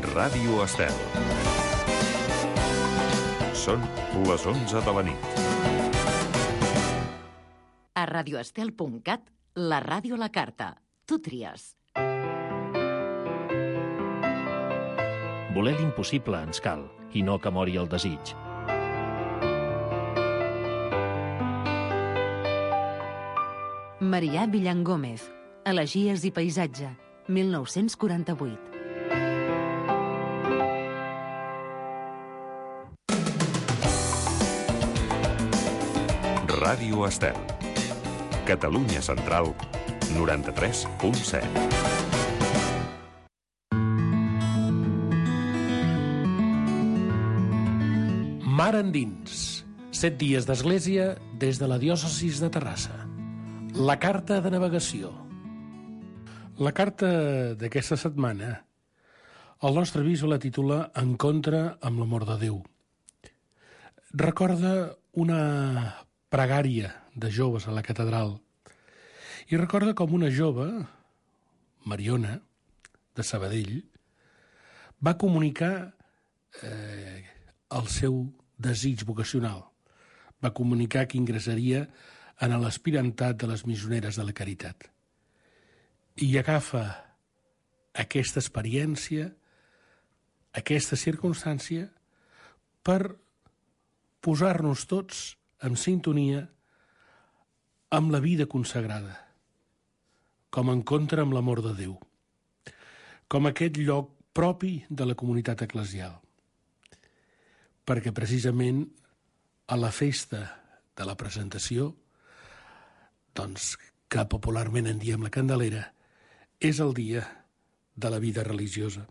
Ràdio Estel. Són les 11 de la nit. A radioestel.cat, la ràdio a la carta. Tu tries. Voler l'impossible ens cal, i no que mori el desig. Marià Villangómez, Elegies i paisatge, 1948. Ràdio Estel. Catalunya Central, 93.7. Mar endins. 7 dies d'església des de la diòcesis de Terrassa. La carta de navegació. La carta d'aquesta setmana, el nostre aviso la titula Encontre amb l'amor de Déu. Recorda una pregària de joves a la catedral i recorda com una jove, Mariona, de Sabadell, va comunicar el seu desig vocacional. Va comunicar que ingressaria en l'aspirantat de les missioneres de la Caritat. I agafa aquesta experiència, aquesta circumstància, per posar-nos tots en sintonia amb la vida consagrada, com encontre amb l'amor de Déu, com aquest lloc propi de la comunitat eclesial. Perquè precisament a la festa de la presentació, doncs, que popularment en diem la Candelera, és el dia de la vida religiosa.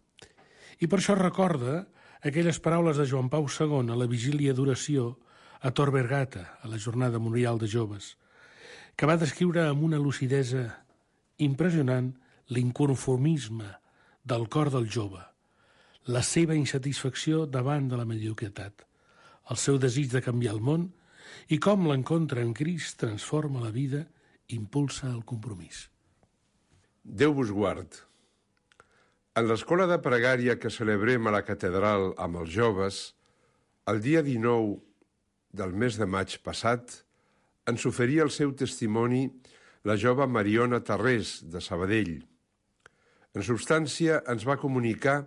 I per això recorda aquelles paraules de Joan Pau II a la vigília d'oració a Tor Vergata, a la jornada memorial de joves, que va descriure amb una lucidesa impressionant l'inconformisme del cor del jove, la seva insatisfacció davant de la mediocritat, el seu desig de canviar el món i com l'encontre en Crist transforma la vida i impulsa el compromís. Déu vos guard. En l'escola de pregària que celebrem a la catedral amb els joves, el dia 19 del mes de maig passat, ens oferia el seu testimoni la jove Mariona Tarrés, de Sabadell. En substància, ens va comunicar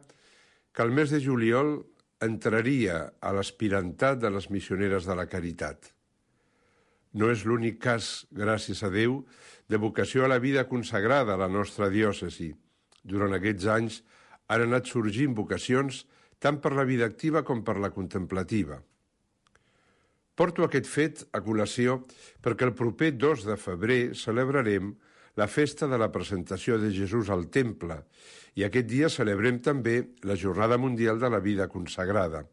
que el mes de juliol entraria a l'aspirantat de les missioneres de la Caritat. No és l'únic cas, gràcies a Déu, de vocació a la vida consagrada a la nostra diòcesi. Durant aquests anys han anat sorgint vocacions tant per la vida activa com per la contemplativa. Porto aquest fet a col·lació perquè el proper 2 de febrer celebrarem la festa de la presentació de Jesús al Temple i aquest dia celebrem també la Jornada Mundial de la Vida Consagrada,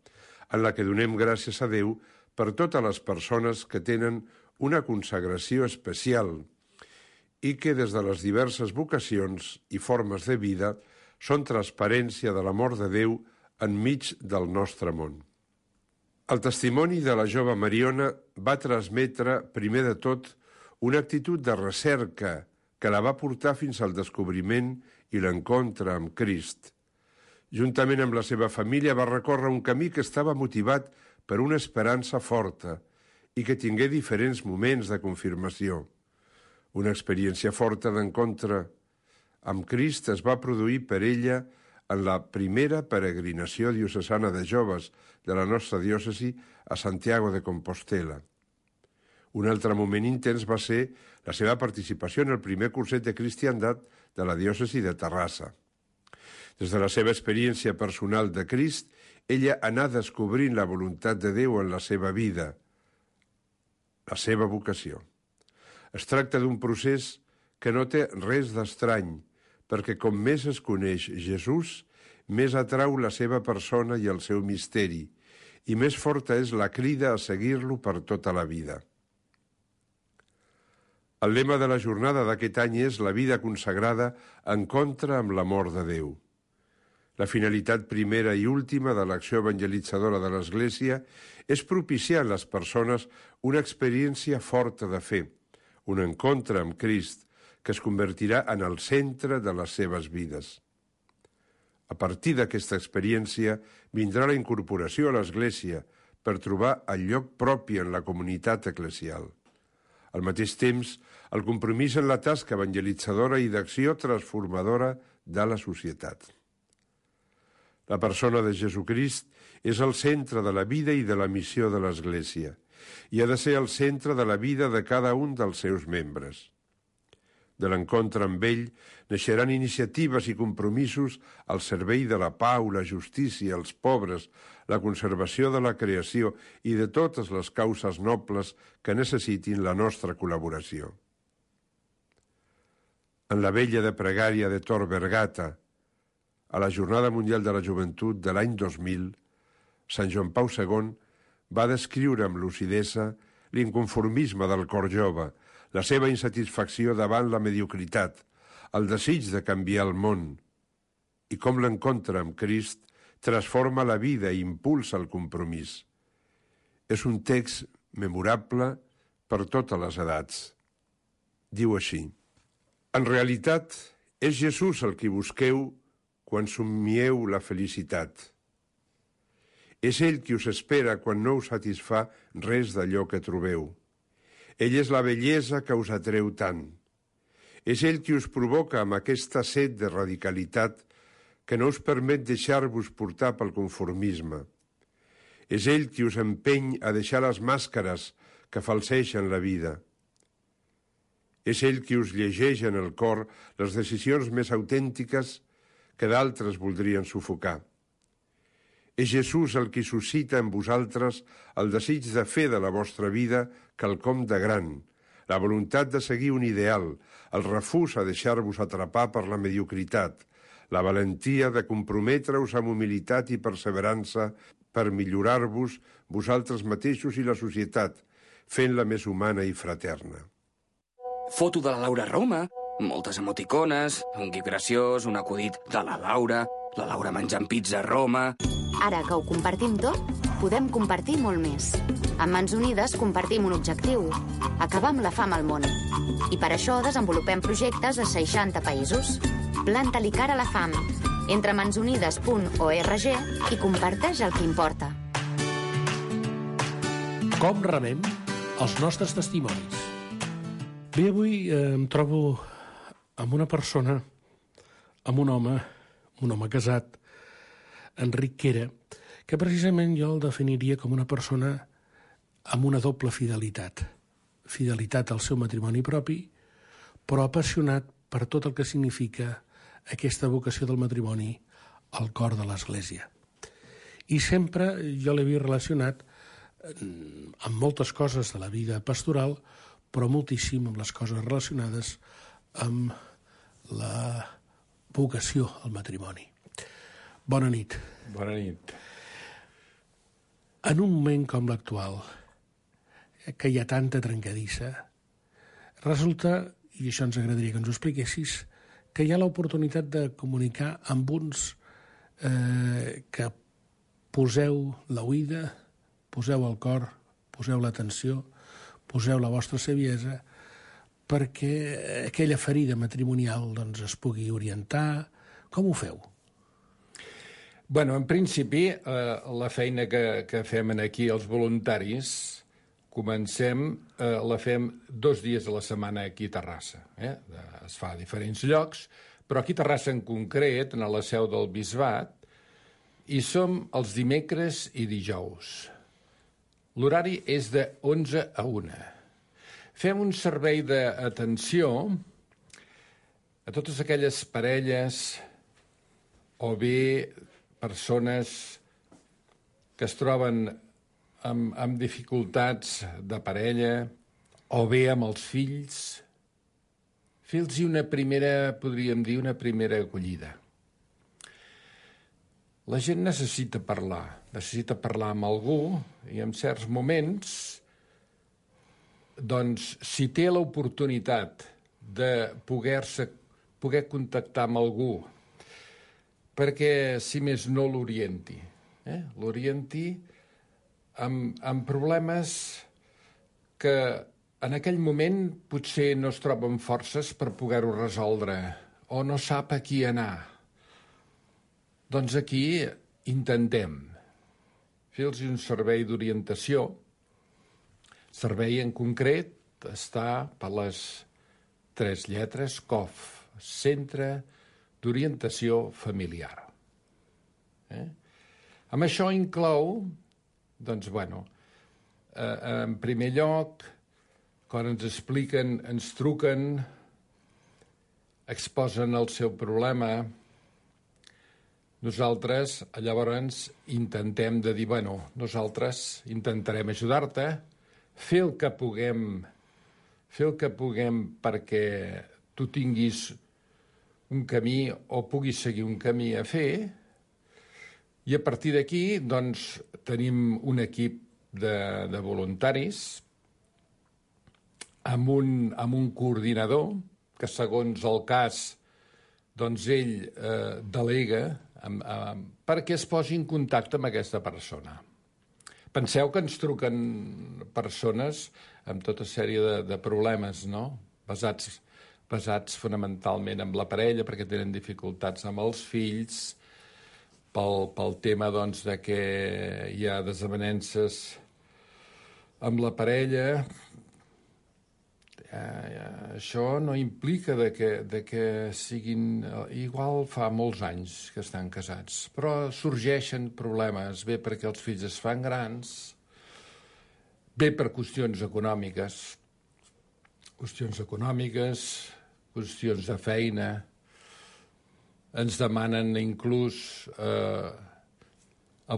en la que donem gràcies a Déu per totes les persones que tenen una consagració especial i que des de les diverses vocacions i formes de vida són transparència de l'amor de Déu enmig del nostre món. El testimoni de la jove Mariona va transmetre, primer de tot, una actitud de recerca que la va portar fins al descobriment i l'encontre amb Crist. Juntament amb la seva família va recórrer un camí que estava motivat per una esperança forta i que tingué diferents moments de confirmació. Una experiència forta d'encontre amb Crist es va produir per ella en la primera peregrinació diocesana de joves de la nostra diòcesi a Santiago de Compostela. Un altre moment intens va ser la seva participació en el primer curset de cristiandat de la diòcesi de Terrassa. Des de la seva experiència personal de Crist, ella anà descobrint la voluntat de Déu en la seva vida, la seva vocació. Es tracta d'un procés que no té res d'estrany, perquè com més es coneix Jesús, més atrau la seva persona i el seu misteri, i més forta és la crida a seguir-lo per tota la vida. El lema de la jornada d'aquest any és la vida consagrada encontre amb l'amor de Déu. La finalitat primera i última de l'acció evangelitzadora de l'Església és propiciar a les persones una experiència forta de fe, un encontre amb Crist, que es convertirà en el centre de les seves vides. A partir d'aquesta experiència vindrà la incorporació a l'Església per trobar el lloc propi en la comunitat eclesial. Al mateix temps, el compromís en la tasca evangelitzadora i d'acció transformadora de la societat. La persona de Jesucrist és el centre de la vida i de la missió de l'Església i ha de ser el centre de la vida de cada un dels seus membres. De l'encontre amb ell naixeran iniciatives i compromisos al servei de la pau, la justícia, els pobres, la conservació de la creació i de totes les causes nobles que necessitin la nostra col·laboració. En la vella de pregària de Tor Vergata, a la Jornada Mundial de la Joventut de l'any 2000, Sant Joan Pau II va descriure amb lucidesa l'inconformisme del cor jove, la seva insatisfacció davant la mediocritat, el desig de canviar el món, i com l'encontre amb Crist transforma la vida i impulsa el compromís. És un text memorable per totes les edats. Diu així: en realitat, és Jesús el qui busqueu quan somieu la felicitat. És ell qui us espera quan no us satisfà res d'allò que trobeu. Ell és la bellesa que us atreu tant. És ell qui us provoca amb aquesta set de radicalitat que no us permet deixar-vos portar pel conformisme. És ell qui us empeny a deixar les màscares que falseixen la vida. És ell qui us llegeix en el cor les decisions més autèntiques que d'altres voldrien sufocar. És Jesús el qui suscita en vosaltres el desig de fer de la vostra vida quelcom de gran, la voluntat de seguir un ideal, el refús a deixar-vos atrapar per la mediocritat, la valentia de comprometre-us amb humilitat i perseverança per millorar-vos vosaltres mateixos i la societat, fent-la més humana i fraterna. Foto de la Laura a Roma, moltes emoticones, un gif graciós, un acudit de la Laura menjant pizza a Roma... Ara que ho compartim tot, podem compartir molt més. Amb Mans Unides compartim un objectiu, acabar amb la fam al món. I per això desenvolupem projectes a 60 països. Planta-li cara a la fam. Entra a mansunides.org i comparteix el que importa. Com remem els nostres testimonis? Bé, avui em trobo amb una persona, amb un home casat, Enric Quera, que precisament jo el definiria com una persona amb una doble fidelitat. Fidelitat al seu matrimoni propi, però apassionat per tot el que significa aquesta vocació del matrimoni al cor de l'Església. I sempre jo l'he vist relacionat amb moltes coses de la vida pastoral, però moltíssim amb les coses relacionades amb la vocació al matrimoni. Bona nit. Bona nit. En un moment com l'actual, que hi ha tanta trencadissa, resulta, i això ens agradaria que ens ho expliquessis, que hi ha l'oportunitat de comunicar amb uns que poseu l'oïda, poseu el cor, poseu l'atenció, poseu la vostra saviesa, perquè aquella ferida matrimonial doncs, es pugui orientar. Com ho feu? Bueno, en principi, la feina que fem aquí els voluntaris, la fem 2 dies a la setmana aquí a Terrassa. Es fa a diferents llocs, però aquí a Terrassa en concret, a la seu del Bisbat, i som els dimecres i dijous. L'horari és de 11 a 1. Fem un servei d'atenció a totes aquelles parelles o bé persones que es troben amb dificultats de parella o bé amb els fills, fer-los una primera, podríem dir, una primera acollida. La gent necessita parlar amb algú i en certs moments, doncs, si té l'oportunitat de poder contactar amb algú perquè, si més no, l'orienti amb problemes que en aquell moment potser no es troben forces per poder-ho resoldre o no sap a qui anar. Doncs aquí intentem fer-los un servei d'orientació. Servei en concret està per les 3 lletres COF, Centre d'Orientació Familiar. Amb això inclou, doncs, en primer lloc, quan ens expliquen, ens truquen, exposen el seu problema, nosaltres llavors intentem de dir, nosaltres intentarem ajudar-te, fer el que puguem perquè tu tinguis un camí o puguis seguir un camí a fer, i a partir d'aquí, doncs, tenim un equip de voluntaris amb un coordinador que, segons el cas, doncs ell delega perquè es posi en contacte amb aquesta persona. Penseu que ens truquen persones amb tota sèrie de problemes, no? Basats fonamentalment en la parella, perquè tenen dificultats amb els fills, pel tema, doncs, de que hi ha desavenences amb la parella. Això no implica de que siguin... Igual fa molts anys que estan casats, però sorgeixen problemes, bé perquè els fills es fan grans, bé per qüestions econòmiques, qüestions de feina. Ens demanen inclús a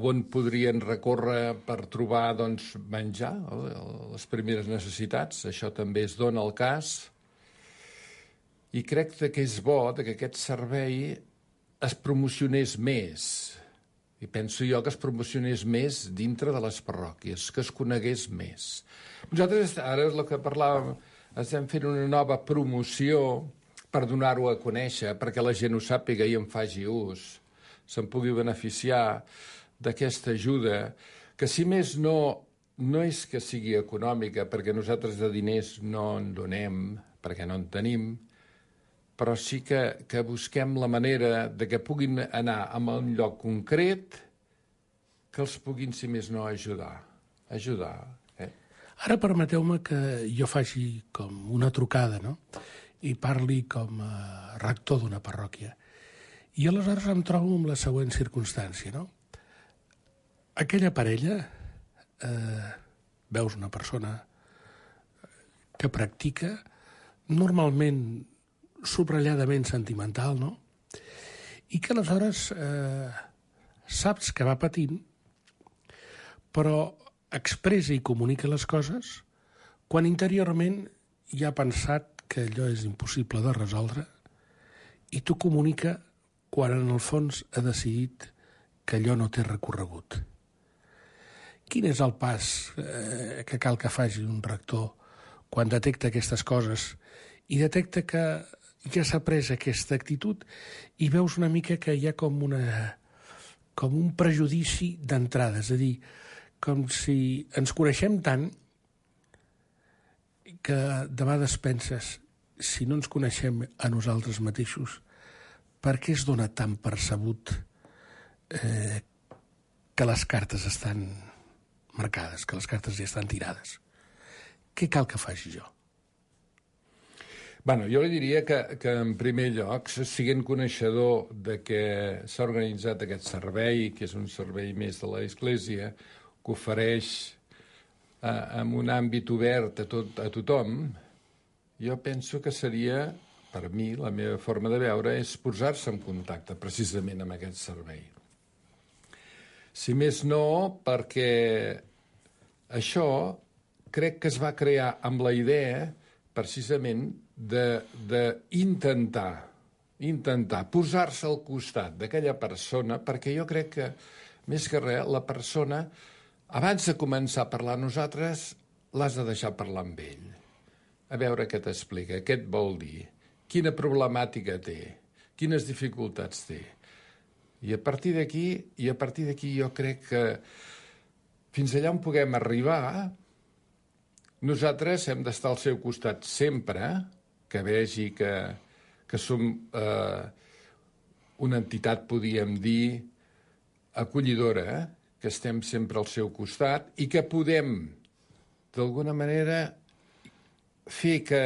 on podrien recórrer per trobar, doncs, menjar, les primeres necessitats. Això també es dona el cas. I crec que és bo que aquest servei es promocionés més. I penso jo que es promocionés més dintre de les parròquies, que es conegués més. Nosaltres, ara és el que parlàvem, estem fent una nova promoció per donar-ho a conèixer, perquè la gent ho sàpiga i en faci ús, se'n pugui beneficiar d'aquesta ajuda, que si més no és que sigui econòmica, perquè nosaltres de diners no en donem, perquè no en tenim, però sí que busquem la manera de que puguin anar a un lloc concret que els puguin, si més no, ajudar. Ara permeteu-me que jo faci com una trucada, no?, i parli com a rector d'una parròquia. I aleshores em trobo amb la següent circumstància, no? Aquella parella, veus una persona que practica, normalment subratlladament sentimental, no? I que aleshores saps que va patint, però expressa i comunica les coses quan interiorment ja ha pensat que allò és impossible de resoldre i t'ho comunica quan en el fons ha decidit que allò no té recorregut. Quin és el pas que cal que faci un rector quan detecta aquestes coses i detecta que ja s'ha pres aquesta actitud i veus una mica que hi ha com un prejudici d'entrada, és a dir, com si ens coneixem tant que de vegades penses, si no ens coneixem a nosaltres mateixos, per què es dona tan percebut que les cartes estan marcades, que les cartes ja estan tirades? Què cal que faci jo? Jo li diria que en primer lloc, siguent coneixedor de que s'ha organitzat aquest servei, que és un servei més de l'Església, que ofereix en un àmbit obert a tothom, jo penso que seria, per mi, la meva forma de veure, és posar-se en contacte precisament amb aquest servei. Si més no, perquè això crec que es va crear amb la idea precisament d'intentar posar-se al costat d'aquella persona, perquè jo crec que, més que res, la persona, abans de començar a parlar a nosaltres, l'has de deixar parlar amb ell. A veure què t'explica, què et vol dir, quina problemàtica té, quines dificultats té. I a partir d'aquí jo crec que fins allà on puguem arribar, nosaltres hem d'estar al seu costat sempre, que vegi que som una entitat, podríem dir, acollidora, que estem sempre al seu costat i que podem, d'alguna manera, fer que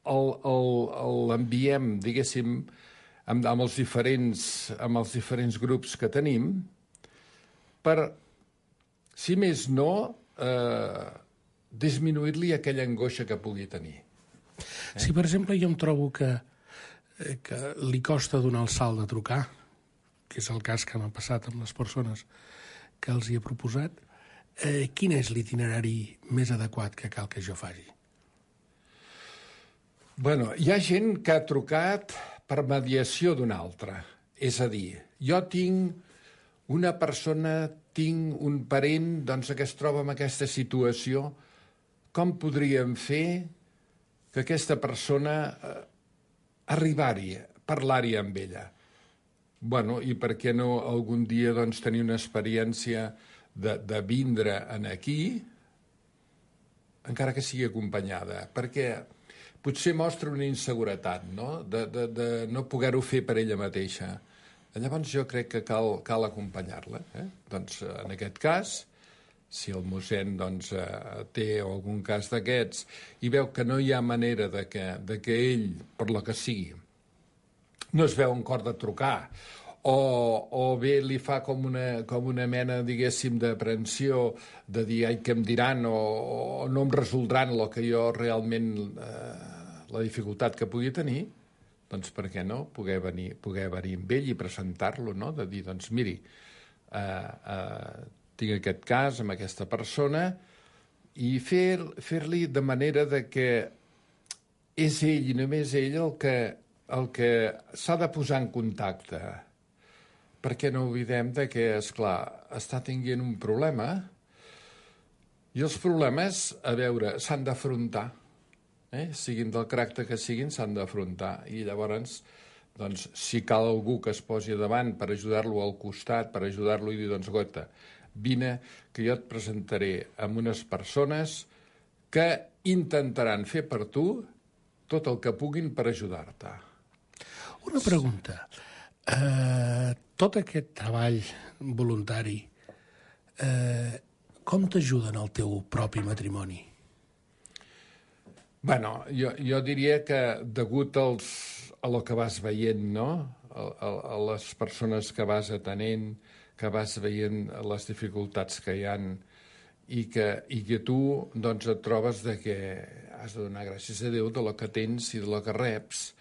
l'enviem, diguéssim, amb els diferents grups que tenim, per, si més no, disminuir-li aquella angoixa que pugui tenir. Si, per exemple, jo em trobo que li costa donar el salt de trucar, que és el cas que m'ha passat amb les persones que els hi he proposat, quin és l'itinerari més adequat que cal que jo faci? Bueno, hi ha gent que ha trucat per mediació d'una altra. És a dir, jo tinc una persona, tinc un parent doncs, que es troba en aquesta situació, com podríem fer que aquesta persona arribar-hi, parlar-hi amb ella? Bueno, i per què no algun dia doncs, tenir una experiència de vindre aquí, encara que sigui acompanyada? Perquè potser mostra una inseguretat, no? De no poder-ho fer per ella mateixa. Llavors jo crec que cal acompanyar-la. Doncs en aquest cas, si el mossèn doncs, té algun cas d'aquests i veu que no hi ha manera de que ell, per lo que sigui, no es veu un cor de trucar, o bé li fa com una mena, diguéssim, d'aprensió, de dir, ai, què em diran, o no em resoldran el que jo realment, la dificultat que pugui tenir, doncs per què no poder venir amb ell i presentar-lo, no? De dir, doncs miri, tinc aquest cas amb aquesta persona, i fer-li de manera de que és ell i només ell el que s'ha de posar en contacte, perquè no oblidem que, esclar, està tenint un problema i els problemes, a veure, s'han d'afrontar, siguin del caràcter que siguin, s'han d'afrontar, i llavors, doncs, si cal algú que es posi davant per ajudar-lo al costat, per ajudar-lo i dir, doncs, gota, vine, que jo et presentaré amb unes persones que intentaran fer per tu tot el que puguin per ajudar-te. Una pregunta. Tot aquest treball voluntari, com t'ajuda en el teu propi matrimoni? Bueno, jo diria que degut a lo que vas veient, no? A les persones que vas atenent, que vas veient les dificultats que hi han i que tu doncs, et trobes que has de donar gràcies a Déu de lo que tens i de lo que reps,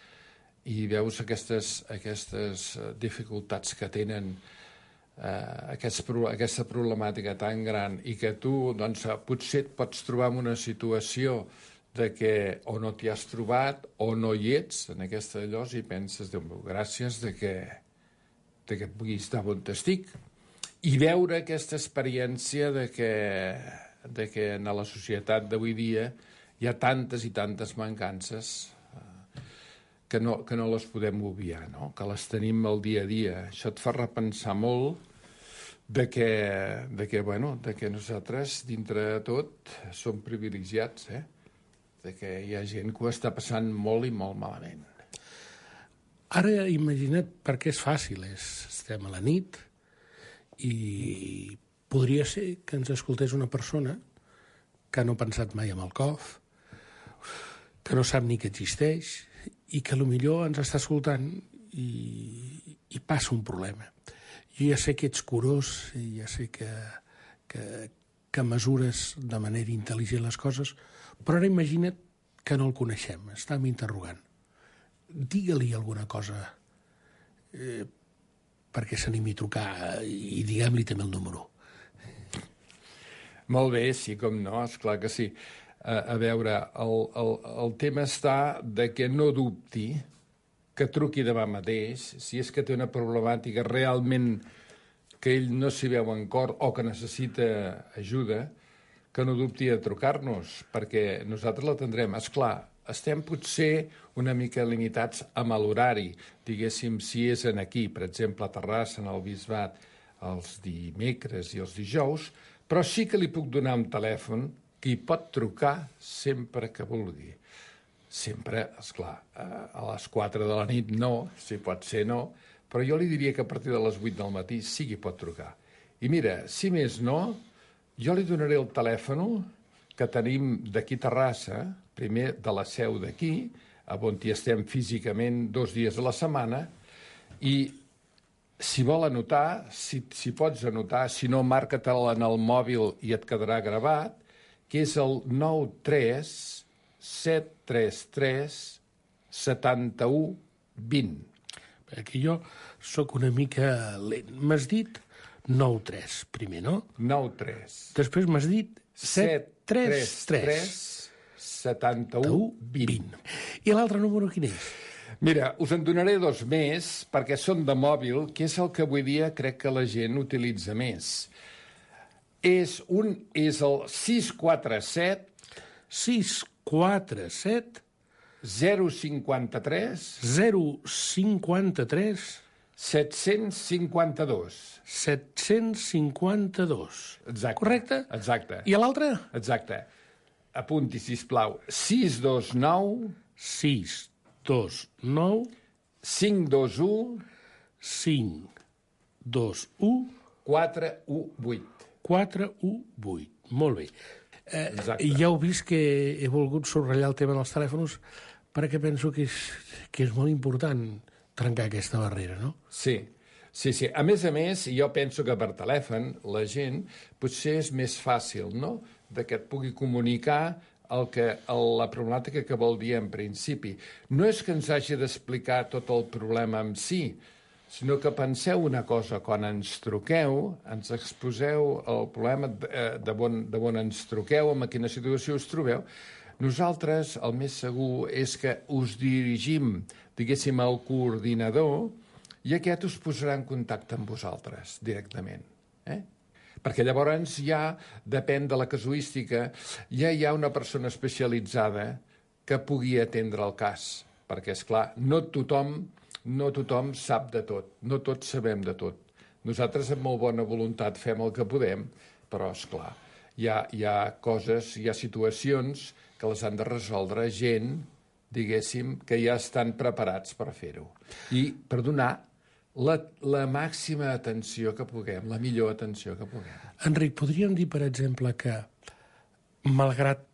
i veus aquestes dificultats que tenen, aquesta problemàtica tan gran, i que tu doncs, potser et pots trobar en una situació de que o no t'hi has trobat o no hi ets en aquesta llosa i penses, Déu meu, gràcies de que pugui estar on estic, i veure aquesta experiència de que en la societat d'avui dia hi ha tantes i tantes mancances que no les podem obviar, no? Que les tenim al dia a dia. Això et fa repensar molt de que nosaltres, dintre de tot, som privilegiats, de que hi ha gent que ho està passant molt i molt malament. Ara imagina't, perquè és fàcil, estem a la nit i podria ser que ens escoltés una persona que no ha pensat mai en el COF, que no sap ni que existeix i que potser ens està escoltant i passa un problema. Jo ja sé que ets curós i ja sé que mesures de manera intel·ligent les coses, però ara imagina't que no el coneixem, estàvem interrogant. Digue-li alguna cosa perquè s'animi a trucar i diguem-li també el número. Molt bé, sí, com no, esclar que sí. A veure, el tema està de que no dubti, que truqui demà mateix, si és que té una problemàtica realment que ell no s'hi veu en cor o que necessita ajuda, que no dubti de trucar-nos, perquè nosaltres l'atendrem. Esclar, estem potser una mica limitats amb l'horari. Diguéssim, si és aquí, per exemple, a Terrassa, en el Bisbat, els dimecres i els dijous, però sí que li puc donar un telèfon que hi pot trucar sempre que vulgui. Sempre, esclar, a les 4 de la nit no, si pot ser no, però jo li diria que a partir de les 8 del matí sí que pot trucar. I mira, si més no, jo li donaré el telèfon que tenim d'aquí a Terrassa, primer de la seu d'aquí, on hi estem físicament 2 dies a la setmana, i si vol anotar, si pots anotar, si no, marca-te'l en el mòbil i et quedarà gravat, que és el 93 733 71 20. Aquí jo sóc una mica lent. M'has dit 9-3, primer, no? 9-3. Després m'has dit 7-3-3. 71 20. I l'altre número quin és? Mira, us en donaré 2 més, perquè són de mòbil, que és el que avui dia crec que la gent utilitza més. És el 647 647 053 053 752. 752. Exacte. Correcte? Exacte. I l'altre? Exacte. Apunti, sisplau. 629 629 521 521 418. 418. Molt bé. Exacte. Ja heu vist que he volgut subratllar el tema dels telèfons perquè penso que és molt important trencar aquesta barrera, no? Sí. A més, jo penso que per telèfon la gent potser és més fàcil, no?, de que et pugui comunicar la problemàtica que vol dir en principi. No és que ens hagi d'explicar tot el problema en si, sinó que penseu una cosa, quan ens truqueu, ens exposeu el problema de on ens truqueu, en quina situació us trobeu. Nosaltres, el més segur és que us dirigim, diguéssim, al coordinador i aquest us posarà en contacte amb vosaltres directament. Perquè llavors ja, depèn de la casuística, ja hi ha una persona especialitzada que pugui atendre el cas. Perquè, esclar, no tothom sap de tot, no tots sabem de tot. Nosaltres, amb molt bona voluntat, fem el que podem, però, esclar, hi ha coses, hi ha situacions que les han de resoldre gent, diguéssim, que ja estan preparats per fer-ho. I per donar la màxima atenció que puguem, la millor atenció que puguem. Enric, podríem dir, per exemple, que, malgrat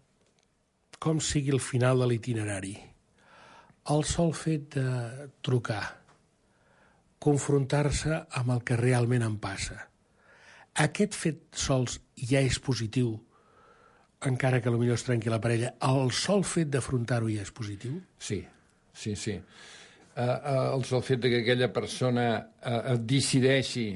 com sigui el final de l'itinerari, el sol fet de trucar, confrontar-se amb el que realment em passa, aquest fet sols ja és positiu, encara que potser es trenqui la parella, el sol fet d'afrontar-ho ja és positiu? Sí. El fet que aquella persona decideixi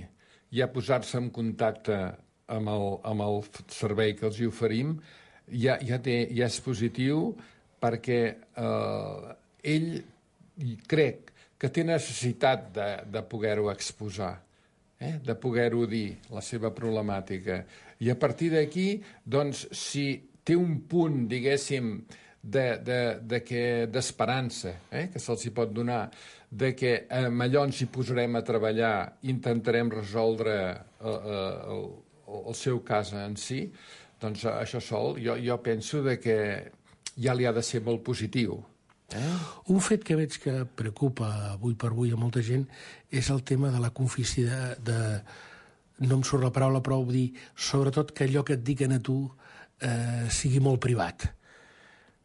ja posar-se en contacte amb el servei que els hi oferim ja és positiu, perquè ell crec que té necessitat de poder-ho exposar, de poder-ho dir, la seva problemàtica. I a partir d'aquí, doncs, si té un punt, diguéssim, d'esperança, que se'ls hi pot donar, que amb allò ens hi posarem a treballar, intentarem resoldre el seu cas en si, doncs això sol, jo penso que ja li ha de ser molt positiu. Un fet que veig que preocupa avui per avui a molta gent és el tema de la confidencialitat, no em surt la paraula, però vull dir, sobretot que allò que et diguen a tu sigui molt privat.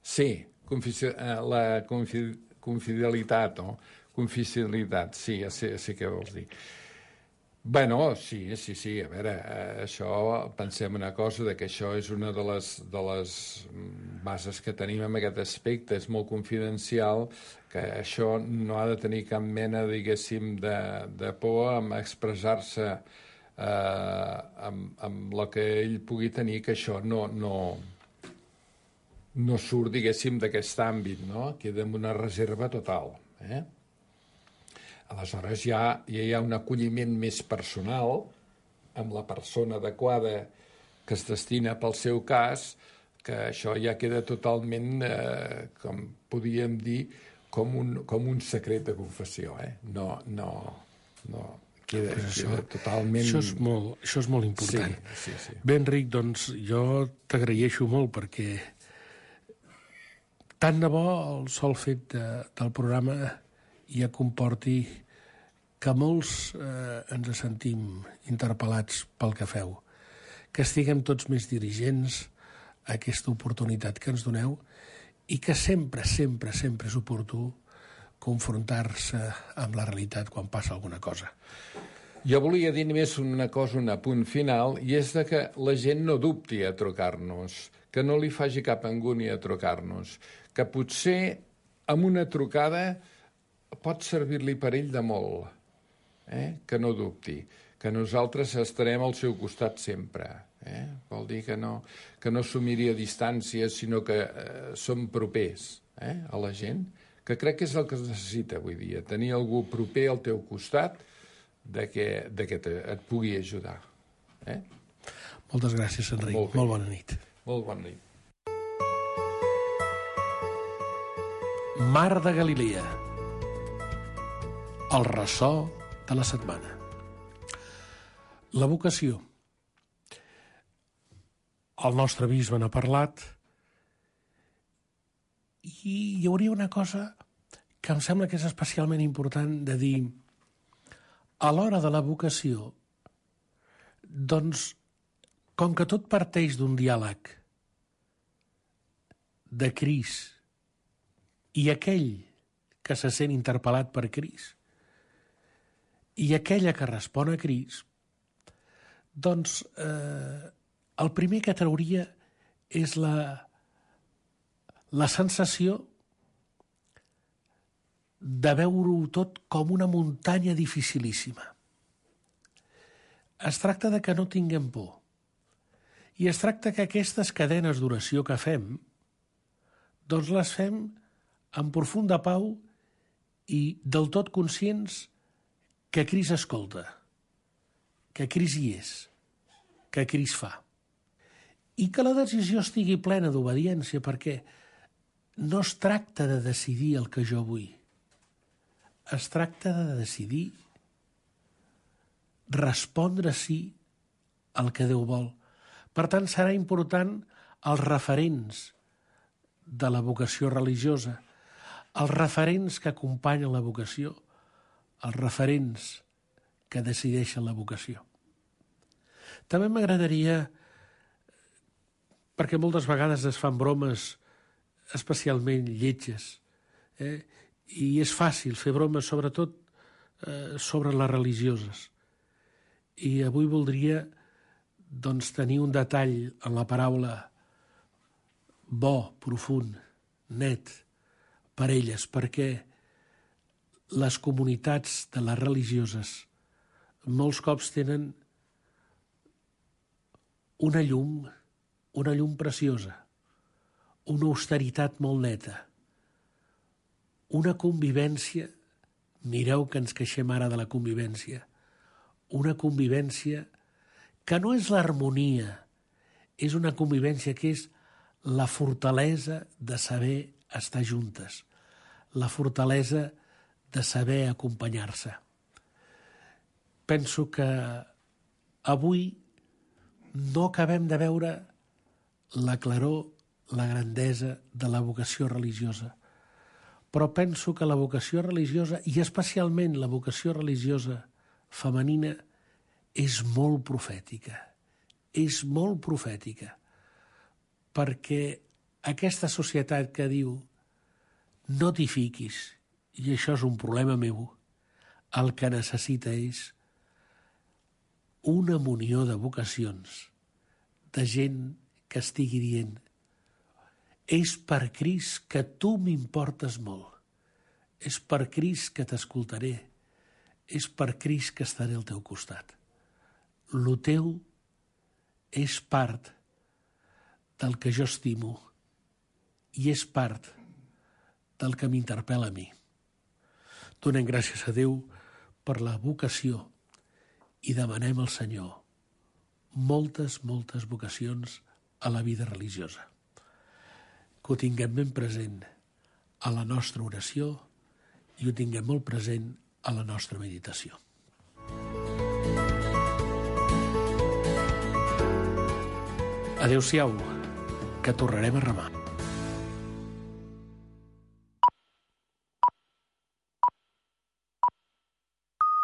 Sí, la confidencialitat, no? Confidencialitat, sí, ja sé què vols dir. Bueno, sí, a veure, això, pensem una cosa, que això és una de les bases que tenim en aquest aspecte, és molt confidencial, que això no ha de tenir cap mena, diguéssim, de por amb expressar-se amb el que ell pugui tenir, que això no surt, diguéssim, d'aquest àmbit, no? Queda en una reserva total. Aleshores ja hi ha un acolliment més personal amb la persona adequada que es destina pel seu cas, que això ja queda totalment, com podríem dir, com un secret de confessió. No, queda totalment... Això és molt important. Sí. Bé, Enric, doncs jo t'agraeixo molt perquè tant de bo el sol fet del programa ja comporti que molts ens sentim interpel·lats pel que feu, que estiguem tots més dirigents a aquesta oportunitat que ens doneu i que sempre, sempre, sempre és oportú confrontar-se amb la realitat quan passa alguna cosa. Jo volia dir només una cosa, un apunt final, i és de que la gent no dubti a trucar-nos, que no li faci cap angúnia a trucar-nos, que potser amb una trucada pot servir-li per ell de molt, que no dubti, que nosaltres estarem al seu costat sempre. Vol dir que no s'ho miri a distància, sinó que som propers a la gent, que crec que és el que es necessita avui dia, tenir algú proper al teu costat que et pugui ajudar. Moltes gràcies, Enric. Molt bona nit. Molt bona nit. Mar de Galilea. El ressò de la setmana. La vocació. El nostre bisbe n'ha parlat i hi hauria una cosa que em sembla que és especialment important de dir. A l'hora de la vocació, doncs, com que tot parteix d'un diàleg de Crist i aquell que se sent interpel·lat per Crist i aquella que respon a Crist, doncs el primer que trauria és la sensació de veure-ho tot com una muntanya dificilíssima. Es tracta de que no tinguem por. I es tracta que aquestes cadenes d'oració que fem, doncs les fem amb profunda pau i del tot conscients que Crist escolta, que Crist hi és, que Crist fa. I que la decisió estigui plena d'obediència, perquè no es tracta de decidir el que jo vull. Es tracta de decidir respondre sí al que Déu vol. Per tant, serà important els referents de la vocació religiosa, els referents que acompanyen la vocació, els referents que decideixen la vocació. També m'agradaria, perquè moltes vegades es fan bromes especialment lletges, i és fàcil fer bromes, sobretot sobre les religioses. I avui voldria doncs, tenir un detall en la paraula bo, profund, net, per elles, perquè les comunitats de les religioses molts cops tenen una llum preciosa, una austeritat molt neta, una convivència, mireu que ens queixem ara de la convivència, una convivència que no és l'harmonia, és una convivència que és la fortalesa de saber estar juntes, la fortalesa de saber acompanyar-se. Penso que avui no acabem de veure la claror, la grandesa de la vocació religiosa, però penso que la vocació religiosa, i especialment la vocació religiosa femenina, és molt profètica. És molt profètica, perquè aquesta societat que diu no t'hi fiquis, i això és un problema meu, el que necessita és una munió de vocacions, de gent que estigui dient és per Crist que tu m'importes molt, és per Crist que t'escoltaré, és per Crist que estaré al teu costat. Lo teu és part del que jo estimo i és part del que m'interpel·la a mi. Donem gràcies a Déu per la vocació i demanem al Senyor moltes, moltes vocacions a la vida religiosa. Que ho tinguem ben present a la nostra oració i ho tinguem molt present a la nostra meditació. Adéu-siau, que tornarem a remar.